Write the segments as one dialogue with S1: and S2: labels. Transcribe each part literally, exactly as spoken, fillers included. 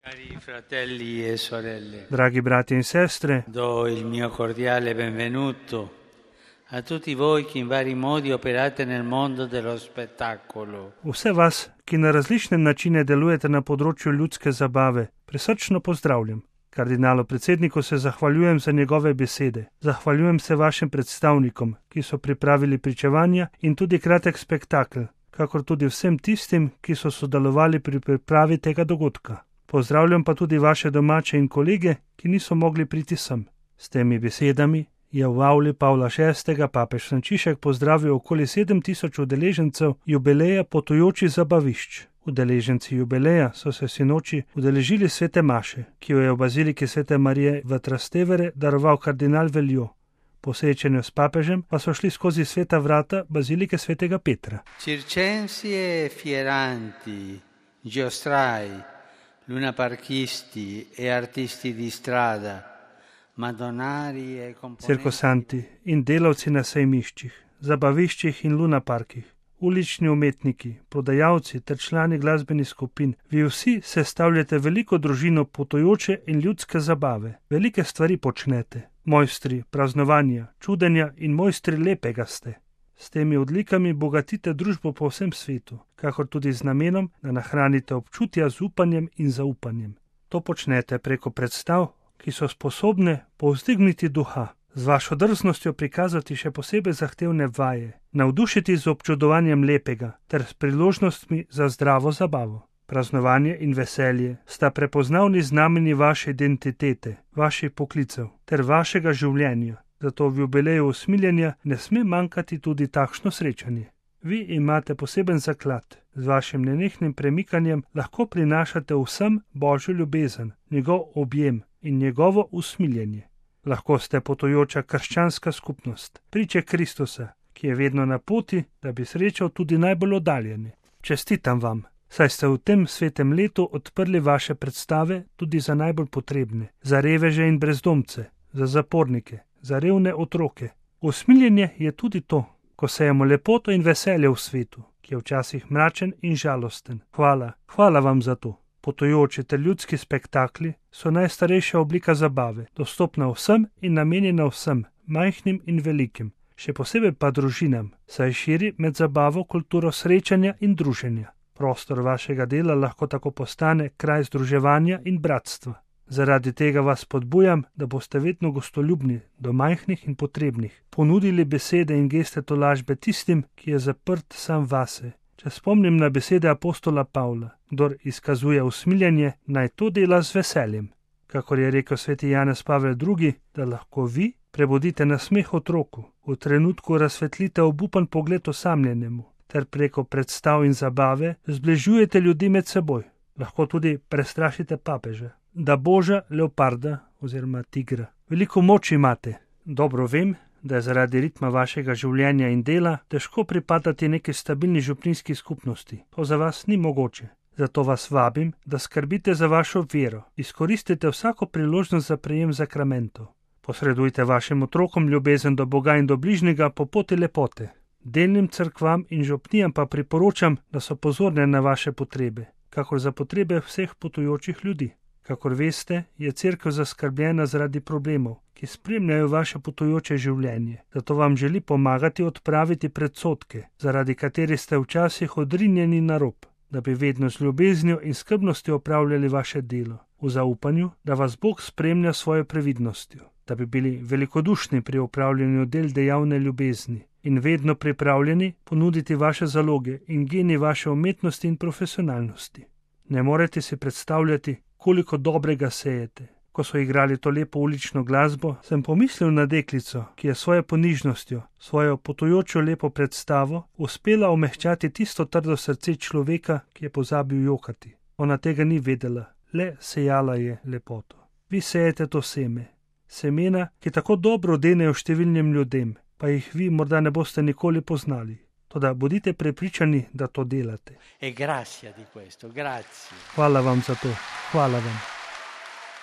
S1: Cari fratelli e sorelle,
S2: Dragi brati in sestre,
S1: do il mio cordiale benvenuto a tutti voi che in vari modi operate nel mondo dello spettacolo.
S2: vse vas, ki na različne načine delujete na področju ljudske zabave, prisrčno pozdravljam. Kardinalu predsedniku se zahvaljujem za njegove besede. Zahvaljujem se vašim predstavnikom, ki so pripravili pričevanja in tudi kratek spektakel, kakor tudi vsem tistim, ki so sodelovali pri pripravi tega dogodka. Pozdravljam pa tudi vaše domače in kolege, ki niso mogli priti sem. S temi besedami je v avli Pavla šestega papež Frančišek pozdravil okoli sedem tisoč udeležencev jubileja potujočih zabavišč. Udeleženci jubileja so se sinoči udeležili svete maše, ki jo je v baziliki svete Marije v Trastevere daroval kardinal Veljo. Po srečanju s papežem pa so šli skozi sveta vrata bazilike svetega Petra.
S1: Circensi e fieranti, giostrai, lunaparchisti e artisti di strada, madonari e componenti...
S2: Cirkosanti in delavci na sejmiščih, zabaviščih in lunaparkih, ulični umetniki, prodajalci ter člani glasbenih skupin, vi vsi sestavljate veliko družino potujoče in ljudske zabave. Velike stvari počnete, mojstri praznovanja, čudenja in mojstri lepega ste. S temi odlikami bogatite družbo po vsem svetu, kakor tudi z namenom, da nahranite občutja z upanjem in zaupanjem. To počnete preko predstav, ki so sposobne povzdigniti duha, z vašo drznostjo prikazati še posebej zahtevne vaje, navdušiti z občudovanjem lepega ter s priložnostmi za zdravo zabavo. Praznovanje in veselje sta prepoznavni znameni vaše identitete, vaših poklicev ter vašega življenja. Zato v jubileju usmiljenja ne sme manjkati tudi takšno srečanje. Vi imate poseben zaklad, z vašim nenehnim premikanjem lahko prinašate vsem Božjo ljubezen, njegov objem in njegovo usmiljenje. Lahko ste potujoča krščanska skupnost, priče Kristusa, ki je vedno na poti, da bi srečal tudi najbolj oddaljene. Čestitam vam, saj ste v tem svetem letu odprli vaše predstave tudi za najbolj potrebne, za reveže in brezdomce, za zapornike, za revne otroke. Usmiljenje je tudi to, ko sejemo lepoto in veselje v svetu, ki je včasih mračen in žalosten. Hvala, hvala vam za to. Potujoči ter ljudski spektakli so najstarejša oblika zabave, dostopna vsem in namenjena vsem, majhnim in velikim, še posebej pa družinam, saj širi med zabavo kulturo srečanja in druženja. Prostor vašega dela lahko tako postane kraj združevanja in bratstva. Zaradi tega vas spodbujam, da boste vedno gostoljubni do majhnih in potrebnih, ponudili besede in geste tolažbe tistim, ki je zaprt sam vase. Če spomnim na besede apostola Pavla, kdor izkazuje usmiljenje, naj to dela z veseljem. Kakor je rekel sveti Janez Pavel drugi, da lahko vi prebudite nasmeh otroku, v trenutku razsvetlite obupan pogled osamljenemu, ter preko predstav in zabave zbližujete ljudi med seboj. Lahko tudi prestrašite papeža, da boža leoparda oziroma tigra. Veliko moč imate. Dobro vem, da je zaradi ritma vašega življenja in dela težko pripadati neki stabilni župnijski skupnosti. To za vas ni mogoče. Zato vas vabim, da skrbite za vašo vero. Izkoristite vsako priložnost za prejem zakramentov. Posredujte vašim otrokom ljubezen do Boga in do bližnjega po poti lepote. Delnim cerkvam in župnijam pa priporočam, da so pozorne na vaše potrebe, kakor za potrebe vseh potujočih ljudi. Kakor veste, je cerkev zaskrbljena zaradi problemov, ki spremljajo vaše potujoče življenje. Zato vam želi pomagati odpraviti predsodke, zaradi katerih ste včasih odrinjeni na rob, da bi vedno z ljubeznijo in skrbnostjo opravljali vaše delo, v zaupanju, da vas Bog spremlja s svojo previdnostjo, da bi bili velikodušni pri opravljanju del dejavne ljubezni in vedno pripravljeni ponuditi vaše zaloge in geni vaše umetnosti in profesionalnosti. Ne morete si predstavljati, koliko dobrega sejete. Ko so igrali to lepo ulično glasbo, sem pomislil na deklico, ki je svojo ponižnostjo, svojo potujočo lepo predstavo uspela omehčati tisto trdo srce človeka, ki je pozabil jokati. Ona tega ni vedela, le sejala je lepoto. Vi sejete to seme, semena, ki tako dobro denejo številnim ljudem, pa jih vi morda ne boste nikoli poznali. Toda bodite prepričani, da to delate.
S1: E grazie di questo, grazie.
S2: Hvala vam za to. Hvala vam.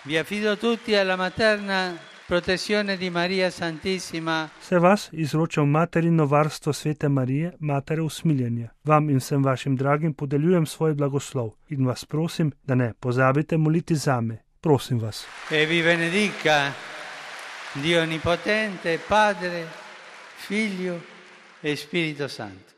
S1: Vi affido tutti alla materna protezione di Maria Santissima,
S2: Se vas izroča v materino varstvo Svete Marije, matere usmiljenja. Vam in vsem vašim dragim podeljujem svoj blagoslov in vas prosim, da ne pozabite moliti zame. Prosim vas.
S1: e vi benedica Dio Onnipotente, Padre, Figlio e Spirito Santo.